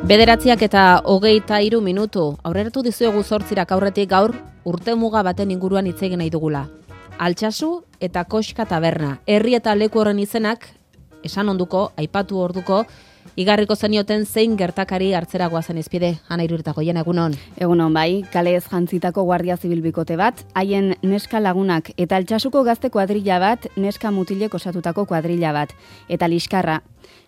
9:23 aurreratu dizuegu 8 aurretik gaur urte muga baten inguruan hitz egin nahi dugula. Altsasu eta Koxka taberna. Herri eta leku horren izenak esan onduko, aipatu orduko, igarriko zenioten zein gertakari hartzera goazen izpide. Ana Iruritako jena, egunon. Egunon bai, kalez jantzitako guardia zibil bikote bat, haien neska lagunak eta Altsasuko gazte kuadrilla bat, neska mutilek osatutako kuadrilla bat. Eta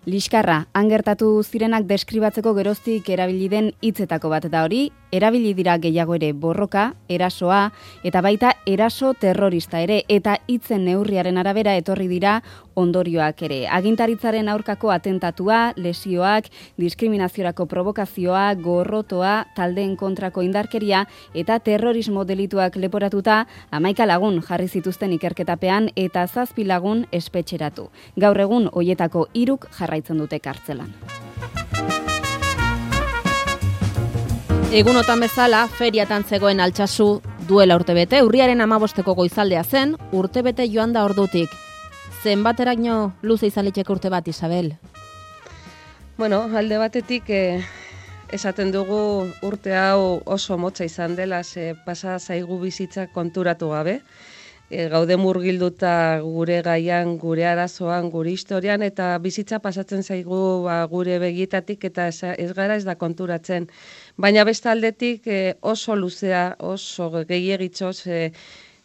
Liskarra, han gertatu zirenak deskribatzeko geroztik erabili den hitzetako bat da hori, erabili dira gehiago ere borroka, erasoa, eta baita eraso terrorista ere, eta hitzen neurriaren arabera etorri dira ondorioak ere. Agintaritzaren aurkako atentatua, lesioak, diskriminaziorako provokazioa, gorrotoa, taldeen kontrako indarkeria, eta terrorismo delituak leporatuta, 11 lagun jarri zituzten ikerketapean, eta 7 lagun espetxeratu. Gaur egun hoietako 3 jarraitzen dute kartzelan. Egunotan bezala, feriatan zegoen Altsasu duela urtebete, urriaren 15ko goizaldea zen, urtebete joan da ordutik. Zenbateraino luze izan liteke urte bat, Isabel? Bueno, alde batetik esaten dugu urte hau oso motza izan dela, pasa zaigu bizitza konturatu gabe. Gaude murgilduta gure gaian, gure arazoan, gure historian, eta bizitza pasatzen zaigu gure begietatik eta ez gara ez da konturatzen. Baina beste aldetik oso luzea, oso gehiegitzoz,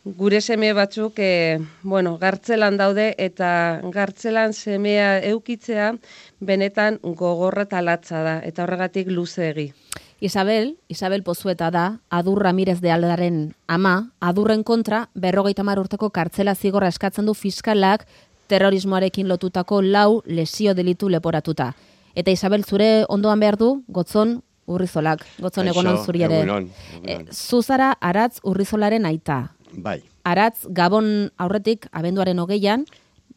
gure seme batzuk gartzelan daude eta gartzelan semea eukitzea benetan gogorra eta latza da, eta horregatik luzeegi. Isabel Pozueta da, Adur Ramirez de Aldaren ama, Adurren kontra 50 urteko kartzela zigorra eskatzen du fiskalak terrorismoarekin lotutako 4 lesio delitu leporatuta. Eta Isabel, zure ondoan behar du, Gotzon Urrizolak. Gotzon egonon zuri ere. Zuzara Aratz Urrizolaren aita. Bai. Aratz Gabon aurretik, abenduaren 20an,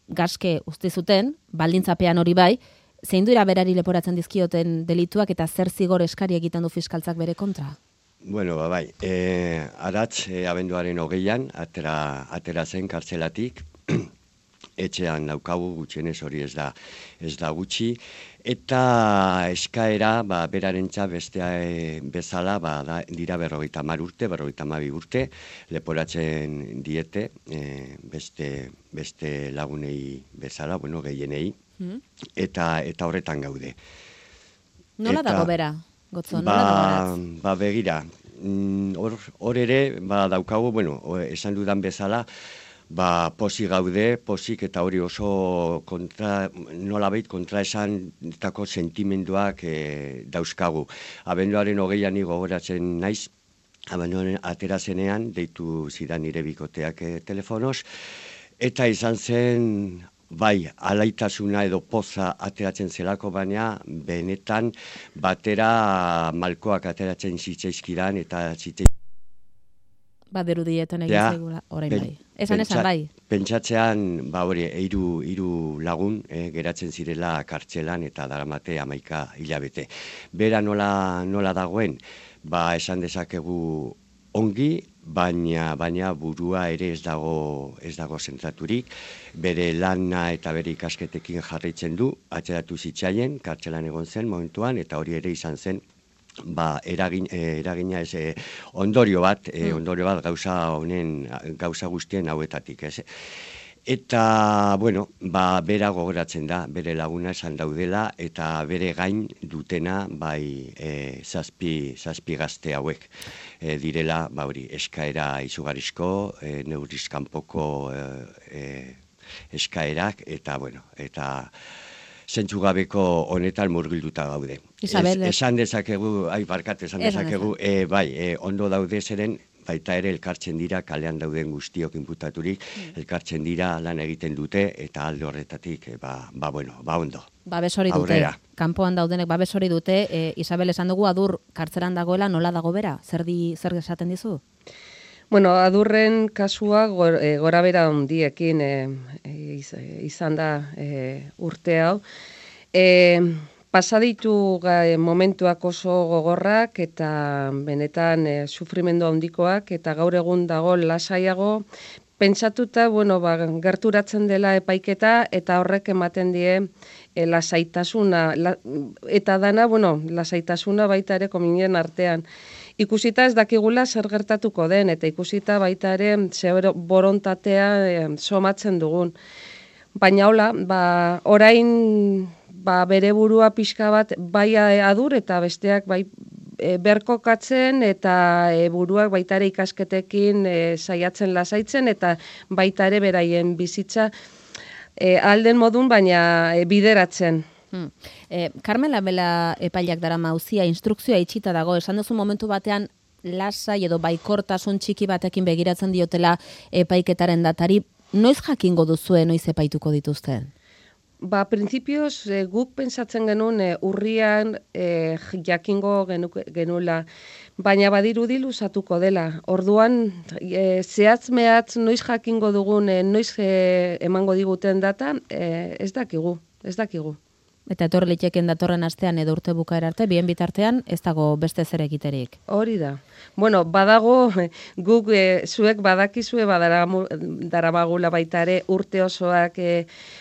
gaske uste zuten, baldintzapean hori bai, zein dira berari leporatzen dizkioten delituak eta zer zigor eskari egiten du fiskaltzak bere kontra? Bueno, bai. Aratz abenduaren 20an atera zen kartzelatik, etxean daukagu gutxienez hori ez da gutxi, eta eskaera berarentza bestea bezala dira 50 urte, 52 urte, leporatzen diete beste lagunei bezala, gehienei, eta horretan gaude. Nola dago bera, Gotzon? Nola dago begira, hor ere daukagu, esan dudan bezala, pozik gaude, pozik eta hori oso nolabait kontra esantako sentimenduak dauzkagu. Abenduaren 20an gogoratzen naiz, abenduaren atera zenean, deitu zidan nire bikoteak telefonoz, eta izan zen, bai, alaitasuna edo poza ateratzen zelako, baina benetan batera malkoak ateratzen zitzaizkidan eta Baderu dietan egin zaigula, orain bai. Esan bai. Pentsatzean, hori, 3 lagun geratzen zirela kartzelan eta daramate 11 hilabete. Bera nola dagoen, esan dezakegu ongi, baina burua ere ez dago zentraturik, bere lana eta bere ikasketekin jarraitzen du, atzeratu zitzaien, kartzelan egon zen momentuan, eta hori ere izan zen, eragina ez ondorio bat gauza guztien hauetatik, ez? Eta, bera gogoratzen da, bere laguna esan daudela, eta bere gain dutena, zazpi gazte hauek direla, eskaera izugarrizko, neurrizkanpoko eskaerak, eta zentzugabeko honetan murgilduta gaude. Isabel. Esan dezakegu, ondo daude zeren, baita ere elkartzen dira, kalean dauden guztiok inputaturik, elkartzen dira, lan egiten dute, eta alde horretatik, ondo. Babes hori dute, kanpoan daudenek babes hori dute, Isabel esan dugu, Adur kartzelan dagoela, nola dago bera? Zer esaten dizu? Adurren kasua gora bera handiekin izan da urte hau. Pasaditu momentuak oso gogorrak eta benetan sufrimendu handikoak, eta gaur egun dago lasaiago, pentsatuta, gerturatzen dela epaiketa eta horrek ematen die lasaitasuna, eta dana, lasaitasuna baita ere kominen artean. Ikusita ez dakigula zer gertatuko den, eta ikusita baita ere zer borontatea somatzen dugun. Baina hola, orain bere burua pixka bat bai adur eta besteak bai berkokatzen eta buruak baita ere ikasketekin saiatzen lasaitzen eta baita ere beraien bizitza alden modun baina bideratzen. Carmela Bela epaileak darama auzia instrukzioa itxita dago, esan duzu momentu batean lasai edo baikortasun txiki batekin begiratzen diotela epaiketaren datari, noiz jakingo duzue, noiz epaituko dituzte? Printzipioz guk pensatzen genuen urrian jakingo genuela, baina badirudi luzatuko dela. Orduan, zehatz mehatz noiz jakingo dugun, noiz emango diguten data, ez dakigu. Eta etorri liteken datorren astean edo urte bukaera arte, bien bitartean ez dago beste zer egiterik. Hori da. Badago, guk zuek badakizue daramagula baita ere urte osoak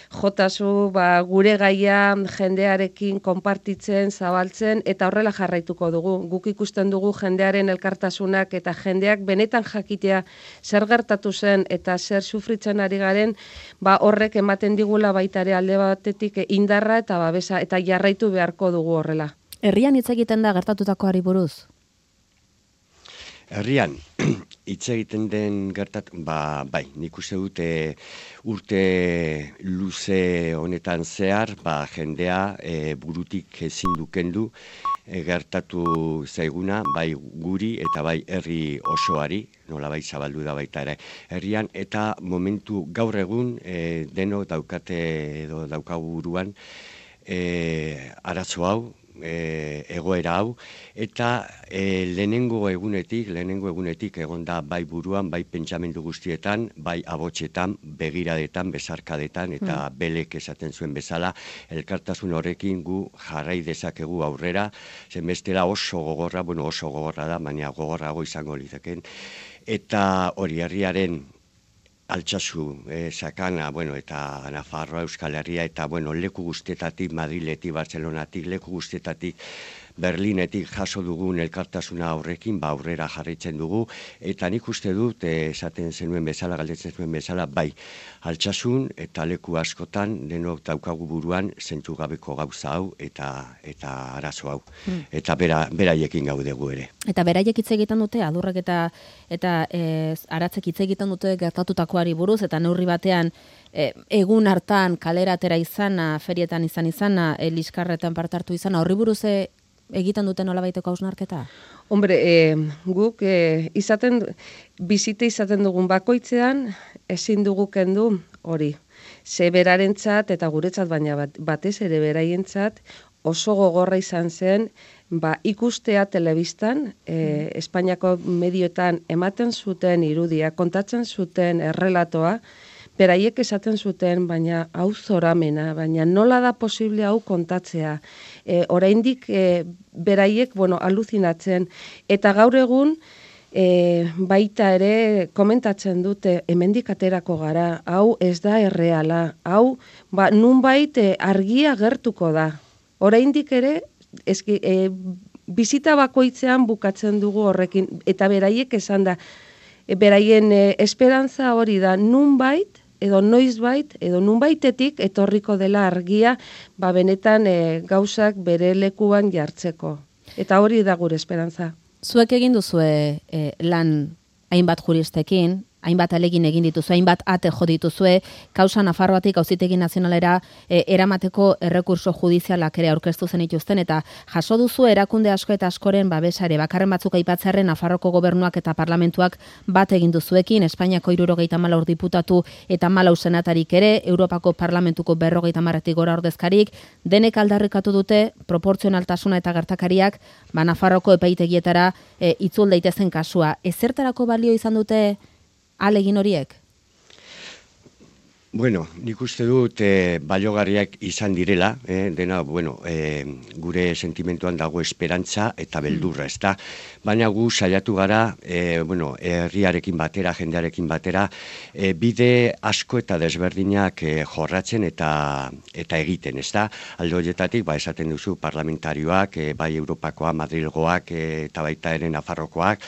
jotazu gure gaia jendearekin konpartitzen, zabaltzen, eta horrela jarraituko dugu. Guk ikusten dugu jendearen elkartasunak eta jendeak benetan jakitea zer gertatu zen eta zer sufritzen ari garen, horrek ematen digula baita ere alde batetik indarra eta babesa, eta jarraitu beharko dugu horrela. Herrian hitz egiten da gertatutakoari buruz? Herrian, hitz egiten den bai, nik uste dute urte luze honetan zehar, jendea burutik ezin dukendu gertatu zaiguna, bai guri eta bai herri osoari, nola bai zabaldu da baita ere herrian, eta momentu gaur egun denok daukate edo daukagu buruan arazo hau, egoera hau, eta lehenengo egunetik egonda bai buruan, bai pentsamendu guztietan, bai abotxetan, begiradetan, besarkadetan, eta belek esaten zuen bezala, elkartasun horrekin gu jarrai dezakegu aurrera, zen bestela oso gogorra da, baina gogorrago izango litzeken, eta hori herriaren Altsasu, Sakana, eta Nafarroa, Euskal Herria, eta leku guztietatik, Madriletik, Bartzelonatik, leku guztietatik, Berlinetik jaso dugun elkartasuna horrekin, aurrera jarraitzen dugu, eta nik uste dut, esaten zenuen bezala, galdetzen zenuen bezala, bai, altsasun eta leku askotan denok daukagu buruan zentzugabeko gauza hau eta arazo hau. Eta beraiekin gaudegu ere. Eta beraiek hitz egiten dute, adurrek eta aratzek hitz egiten dute gertatutakoari buruz, eta neurri batean egun hartan kalera atera izana, ferietan izana, liskarretan parte hartu izana, horri buruz egiten duten nolabaiteko hausnarketa? Guk bizite izaten dugun bakoitzean ezin dugu kendu hori. Ze berarentzat eta guretzat, baina batez ere beraientzat oso gogorra izan zen ikustea telebistan, Espainiako medioetan ematen zuten irudia, kontatzen zuten errelatoa, beraiek esaten zuten, baina hau zoramena, baina nola da posible hau kontatzea. Oraindik beraiek, aluzinatzen. Eta gaur egun, baita ere komentatzen dute, hemendik aterako gara, hau ez da erreala, hau nunbait argia gertuko da. Oraindik ere, bizita bakoitzean bukatzen dugu horrekin, eta beraiek esan da, beraien esperantza hori da nunbait, edo noizbait, edo nunbaitetik etorriko dela argia, benetan gauzak bere lekuan jartzeko. Eta hori da gure esperantza. Zuek egin duzue lan hainbat juristekin, hainbat alegin egin dituzue, hainbat ate jo dituzue, kausa Nafarroatik Auzitegi Nazionalera eramateko errekurso judizialak ere aurkeztu zenituzten, eta jaso duzu erakunde asko eta askoren babesare, bakarren batzuk aipatzearren Nafarroko gobernuak eta parlamentuak bat egin duzuekin, Espainiako 74 diputatu eta 14 senatarik ere, Europako Parlamentuko 50 gora ordezkarik, denek aldarrikatu dute proportzionaltasuna eta gertakariak Nafarroko epaitegietara itzul daitezen kasua. Ezertarako balio izan dute alegin horiek? Bueno, nik uste dut baliogarriak izan direla, dena, gure sentimentuan dago esperantza eta beldurra, ezta? Baina gu saiatu gara, herriarekin batera, jendearekin batera, bide asko eta desberdinak jorratzen eta egiten, ezta? Alde horietatik, esaten duzu parlamentarioak, bai Europakoa, Madrilgoak eta baita ere Nafarrokoak,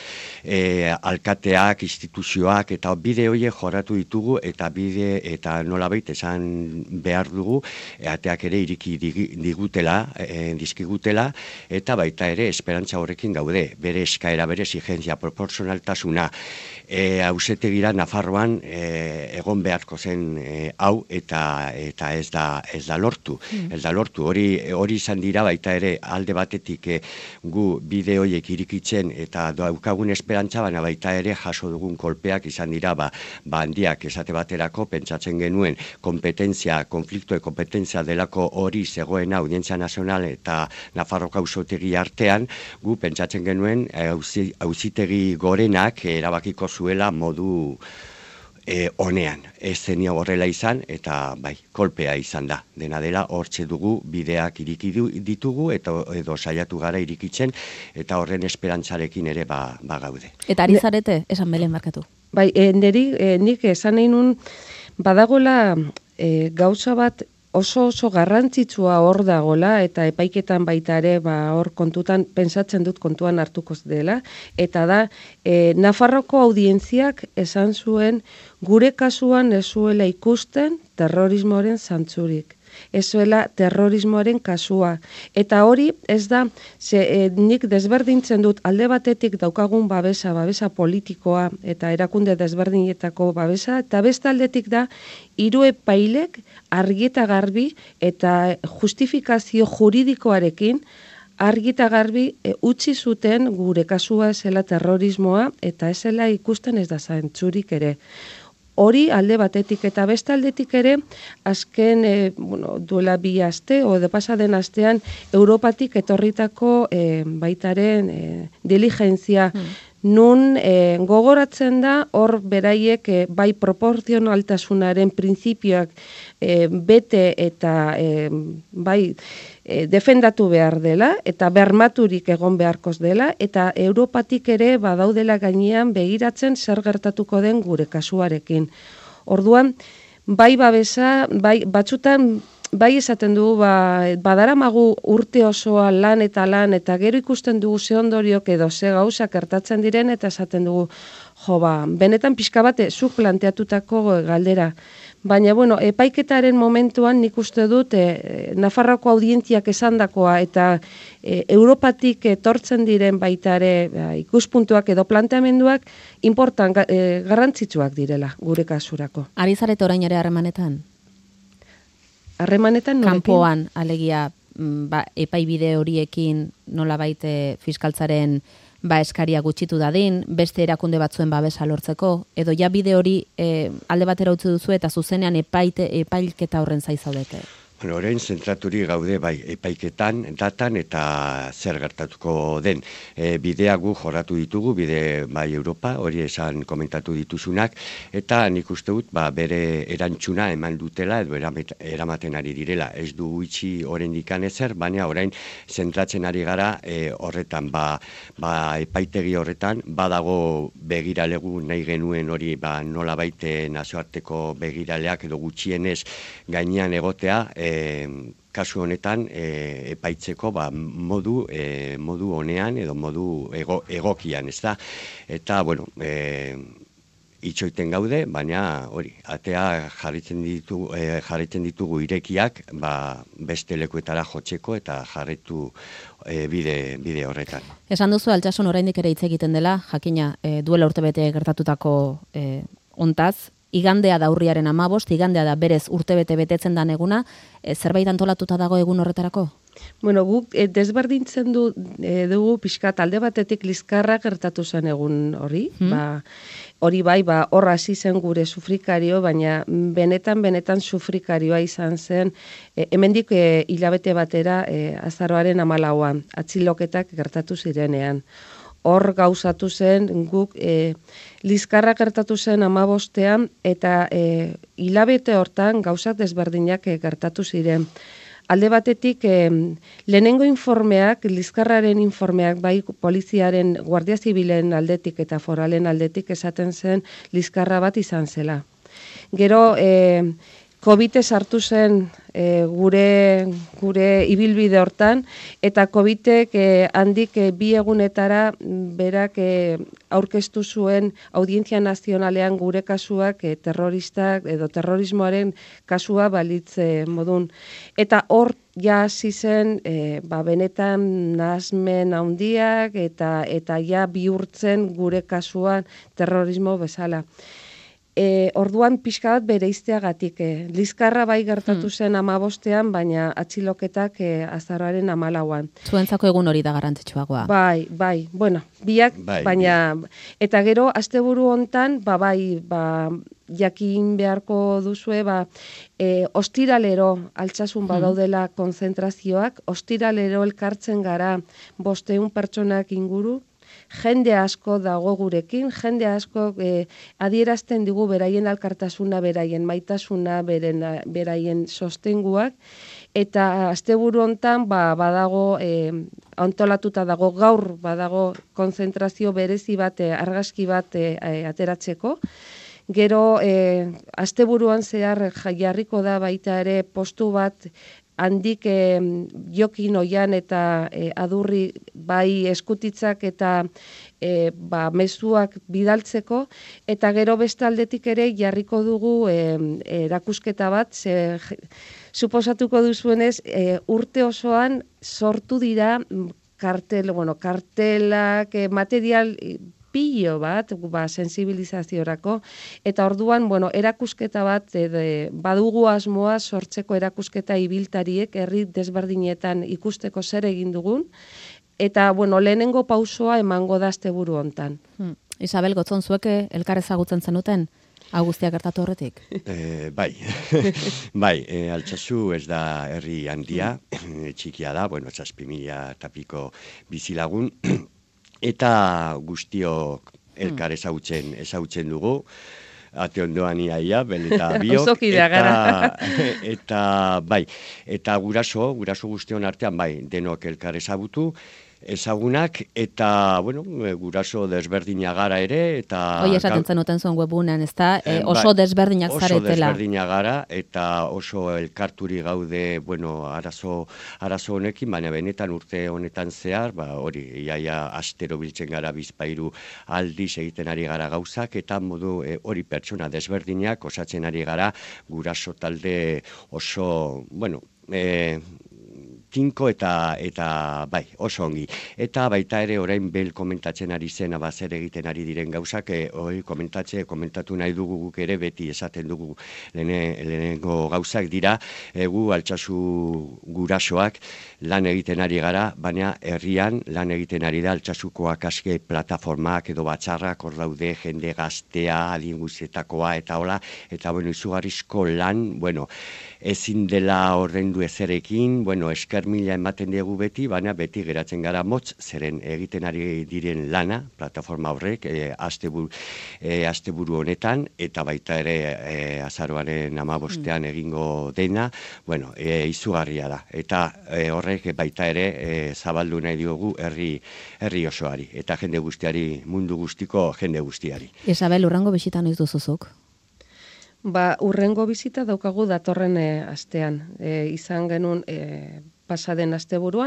alkateak, instituzioak, eta bide horiek jorratu ditugu eta bide eta nolabait esan behar dugu, ateak ere iriki dizkigutela, eta baita ere esperantza horrekin gaude, bere eskaera, bere exigentzia, proporzionaltasuna, ausetegira Nafarroan egon beharko zen hau eta ez da lortu. Ez da lortu, hori izan dira baita ere alde batetik gu bide horiek irikitzen eta daukagun esperantza, baina baita ere jaso dugun kolpeak izan dira handiak esate baterako pentsatzen genuen konflikto kompetentzia delako hori zegoena Audientzia Nazional eta Nafarroko auzitegi artean, gu pentsatzen genuen auzitegi gorenak erabakiko zuela modu honean. Ez zenio horrela izan eta kolpea izan da. Dena dela hortxe dugu bideak iriki ditugu edo saiatu gara irikitzen eta horren esperantzarekin ere gaude. Eta ari zarete, esan Belen barkatu. Nik esan nahi nun badagola gauza bat oso garrantzitsua hor dagola eta epaiketan baita ere hor kontutan pentsatzen dut kontuan hartuko dela, eta da Nafarroko audientziak esan zuen gure kasuan ez zuela ikusten terrorismoaren zantzurik. Ez zuela terrorismoaren kasua. Eta hori ez da, nik desberdintzen dut alde batetik daukagun babesa politikoa eta erakunde desberdinetako babesa, eta beste aldetik da, hiru epailek argi eta garbi eta justifikazio juridikoarekin argi eta garbi utzi zuten gure kasua ez zela terrorismoa eta ez zela ikusten ez da zantzurik ere. Hori alde batetik eta beste aldetik ere, azken duela 2 aste, edo pasaden astean, Europatik etorritako baitaren diligentzia, nun gogoratzen da hor beraiek bai proporzionaltasunaren printzipioak bete eta bai defendatu behar dela eta bermaturik egon beharkoz dela eta Europatik ere badaudela gainean begiratzen zer gertatuko den gure kasuarekin. Orduan, bai babesa, bai batzutan bai esaten dugu badaramagu urte osoa lan eta gero ikusten dugu ze ondoriok edo ze gauza gertatzen diren eta esaten dugu benetan pixka bate zuk planteatutako galdera. Baina, epaiketaren momentuan nik uste dut Nafarroko audientziak esandakoa eta Europatik etortzen diren baita ere ikuspuntuak edo planteamenduak garrantzitsuak direla gure kasurako. Ari zarete orain ere harremanetan? Harremanetan norekin? Kanpoan, alegia, epaibide horiekin nolabait fiskaltzaren eskaria gutxitu dadin, beste erakunde batzuen babesa lortzeko, edo ja bide hori alde batera utzi duzu eta zuzenean epailketa horren zaizaudete? Orain zentraturik gaude epaiketan, datan eta zer gertatuko den. Bidea gu jorratu ditugu, bide bai Europa, hori esan komentatu dituzunak, eta nik uste dut bere erantzuna eman dutela edo eramaten ari direla. Ez du itxi oraindik ezer, baina orain zentratzen ari gara horretan, epaitegi horretan, badago begiralegu nahi genuen hori nolabait nazioarteko begiraleak edo gutxienez gainean egotea, kasu honetan epaitzeko modu honean edo modu egokian, ez da? Eta, itxoiten gaude, baina hori, atea jarritzen ditugu irekiak beste lekuetara jotzeko eta jarritu bide horretan. Esan duzu Altsasun oraindik ere hitz egiten dela, jakina duela urtebete gertatutako ontaz, igandea da urriaren 15, igandea da berez urtebete betetzen dan eguna, zerbait antolatuta dago egun horretarako? Guk desberdintzen dugu pixkat alde batetik Liskarra gertatu zen egun hori, hori bai, hor hasi zen gure sufrikario, baina benetan sufrikarioa izan zen, hemendik hilabete batera azaroaren 14an, atziloketak gertatu zirenean. hor gauzatu zen guk Liskarra gertatu zen 15ean eta hilabete hortan gauzak desberdinak gertatu ziren. Alde batetik, lehenengo informeak, Liskarraren informeak, bai poliziaren, Guardia Zibilen aldetik eta foralen aldetik esaten zen Liskarra bat izan zela. Gero, COVID sartu zen gure ibilbide hortan, eta COVID-ek handik 2 egunetara berak aurkeztu zuen Audientzia Nazionalean gure kasuak terroristak edo terrorismoaren kasua balitz modun. Eta hor ja hasi zen benetan nahasmen handiak eta ja bihurtzen gure kasuan terrorismo bezala. Orduan pixka bat bereizteagatik. Liskarra bai gertatu zen 15ean, baina atxiloketak azaroaren 14an. Zuentzako egun hori da garrantzitsuagoa. Bai, bueno, biak, baina, eta gero, asteburu hontan, jakin beharko duzue, ostiralero altsasun badaudela konzentrazioak, ostiralero elkartzen gara 500 pertsonak inguru, jende asko dago gurekin, jende asko adierazten digu beraien alkartasuna, beraien maitasuna, beraien sostenguak, eta asteburu hontan badago antolatuta dago gaur badago konzentrazio berezi bat, argazki bat ateratzeko. Gero asteburuan zehar jarriko da baita ere postu bat handik Jokin Oian eta Adurri bai eskutitzak eta mezuak bidaltzeko, eta gero beste aldetik ere jarriko dugu erakusketa bat, suposatuko duzuenez urte osoan sortu dira kartelak, material pilo bat, sensibilizaziorako, eta orduan, erakusketa bat, badugu asmoa sortzeko erakusketa ibiltariek, herri desberdinetan ikusteko zer egin dugun, eta, lehenengo pausoa emango da asteburu hontan. Isabel, Gotzon, zuek elkar ezagutzen zenuten? Guztiak gertatu horretik? Bai, Altsasu ez da herri handia, txikia da, 7.000 eta piko bizilagun, eta guztiok elkar ezagutzen dugu, ate ondoan iaia, bel eta biok, eta guraso guztion artean, denok elkar ezagunak, eta, guraso desberdinak gara ere, eta... Hoi esaten zenuten zuen webunean, ez da? Oso desberdinak zaretela. Oso desberdinak gara, eta oso elkarturi gaude, arazo honekin, baina benetan urte honetan zehar, hori, iaia astero biltzen gara bizpairu aldiz egiten ari gara gauzak, eta modu hori pertsona desberdinak osatzen ari gara, guraso talde oso, tinko eta oso ongi. Eta baita ere orain bel komentatzen ari zen, zer egiten ari diren gauzak, hori komentatu nahi dugu guk ere, beti esaten dugu lehenengo gauzak dira, gu Altsasu gurasoak lan egiten ari gara, baina herrian lan egiten ari da Altsasukoak aske plataformak edo batzarrak hor daude, jende gaztea, adin guztietakoa eta hola, eta izugarrizko lan, ezin dela ordaindu ezerekin, esker mila ematen diegu beti, baina beti geratzen gara motz, zeren egiten ari diren lana, plataforma horrek, asteburu honetan, eta baita ere azaroaren 15ean egingo dena, izugarria da. Eta horrek baita ere zabaldu nahi diogu herri osoari, eta jende guztiari, mundu guztiko jende guztiari. Isabel, urrengo bisita noiz duzuzuk? Urrengo bizita daukagu datorren astean. Izan genuen pasaden asteburu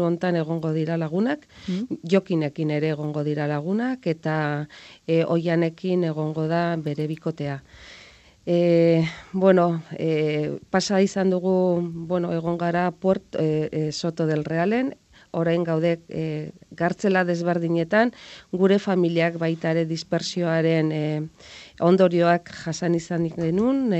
hontan egongo dira lagunak, Jokinekin ere egongo dira lagunak, eta Oianekin egongo da bere bikotea. Pasa izan dugu, egon gara Soto del Realen, orain gaude gartzela desberdinetan, gure familiak baita ere dispersioaren ondorioak jasan izan genuen,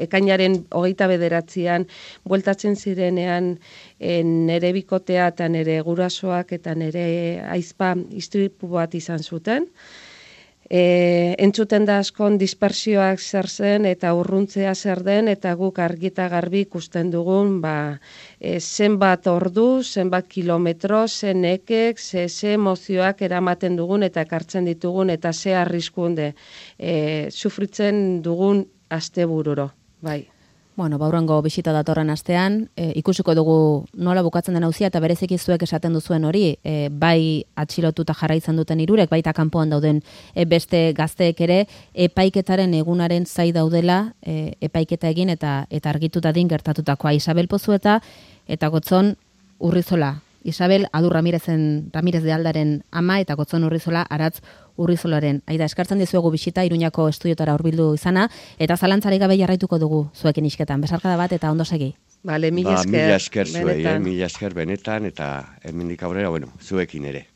ekainaren 29an bueltatzen zirenean nere bikotea eta nere gurasoak eta nere aizpa istripu bat izan zuten. Entzuten da askon dispersioak zer zen eta urruntzea zer den, eta guk argita garbi ikusten dugun, zenbat ordu, zenbat kilometro, zen ekek, ze emozioak eramaten dugun eta ekartzen ditugun, eta ze arriskunde sufritzen dugun astebururo, bai. Bueno, baurrengo bisita datorren astean, ikusiko dugu nola bukatzen den auzia, eta bereziki zuek esaten duzuen hori, bai atxilotuta jarraitzen duten hirurek, baita kanpoan dauden beste gazteek ere, epaiketaren egunaren zai daudela, epaiketa egin eta argituta din gertatutakoa. Isabel Pozueta eta Gotzon Urrizola. Isabel Adur Ramirez de Aldaren ama eta Gotzon Urrizola Aratz Urrizolaren. Aida, eskartzen dizuegu bisita Iruñako estudiotara hurbildu izana, eta zalantzarik gabe jarraituko dugu zuekin isketan. Besarkada bat eta ondo segi. Mila esker. Mila esker zuei, mila esker benetan, eta hemendik aurrera, zuekin ere.